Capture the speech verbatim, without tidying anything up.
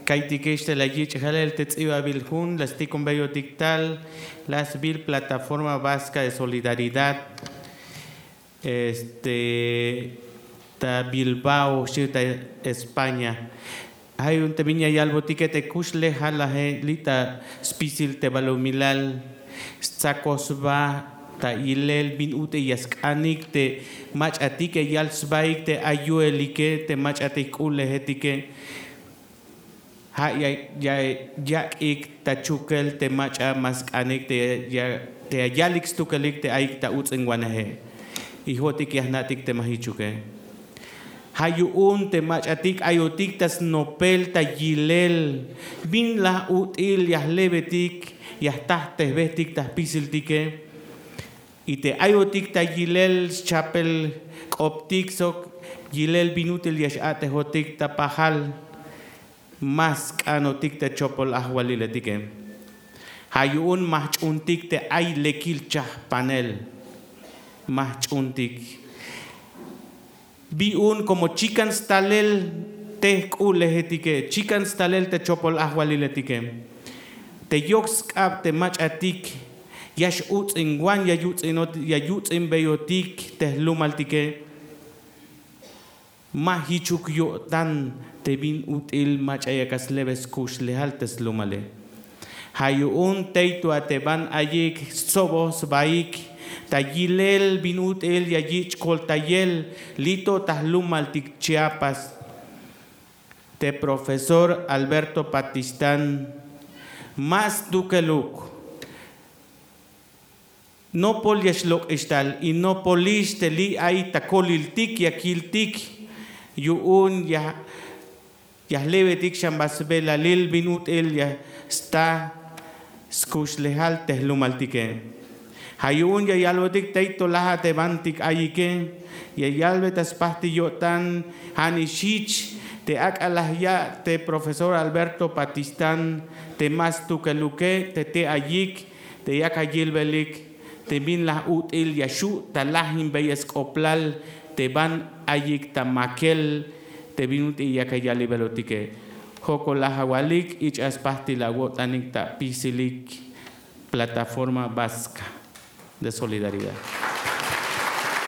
Kaytikex te la yich' jalel te ts'ibabil jun la stikonbeyotik tal la sbil Plataforma Vasca de Solidaridad, este, ta Bilbao xchi ta España. Ay un te bin ya yalbotike te kuxlejalaje li' ta spisil te balumilal stsakoj sba ta yilel bin ut'il ya sk'anik te mach'atike, yal sbaik te ay yu'elike te mach'atik k'u'lejetike. Ja' ya yak'ik ta chukel te mach'a ma sk'anik te ya yalik stukelik te ayik ta uts'inwaneje. Ijotik ya jna'tik te ma jichuke. Ja' yu'un te mach'atik ayotik ta snopel ta yilel bin laj ut'il ya jlebetik, ya jtajtejbetik ta jpisiltike. Y te ayotik ta yilel schapel k'optik sok yilel bin ut'il ya x'a'tejotik ta pajal, ma sk'anotik ta chopol ajwaliletike. Ja' yu'un ma jch'uuntik te ay lekil chajpanel, ma jch'uuntik. Bi un komo chikan stalel te jk'u'lejetike, chikan stalel te chopol ajwaliletike. Te yok sk'ab te mach'atik ya x'uts'inwan, ya yuts'inot ya yuts'inbeyotik te jlumaltike. Ma jichuk yo'tan te bin ut'il mach'a yak a slebe skuxlejal te slumale. Ja' yu'un tey to a te ban ayik stsoboj sbaik ta yilel bin ut'il ya yich' koltayel li' to ta jlumaltik Chiapas. Te profesor Alberto Patistán ma stukeluk. Nopol ya xlok'ix tal y nopolix te li' ay ta koliltik ya kiltik. Yu'un ya jlebetik xan ba sbelalil bin ut'il ya sta skuxlejal te jlumaltike. Ja' yu'un ya yalbotik tey to laj a te bantik ayike, ya yalbe ta spajtil yo'tan. Ja' nix jich te ak'a laj ya' te profesor Alberto Patistán te ma stukeluke te te ayik te yak a yilbelik te bin laj ut'il ya xu' ta lajinbeyel sk'oplal te ban ayik ta makel te bin ut'il yak a yalibelotike. Jokol laj awalik, ich'a spajtil awo'tanik ta apisilik Plataforma Vasca de Solidaridad.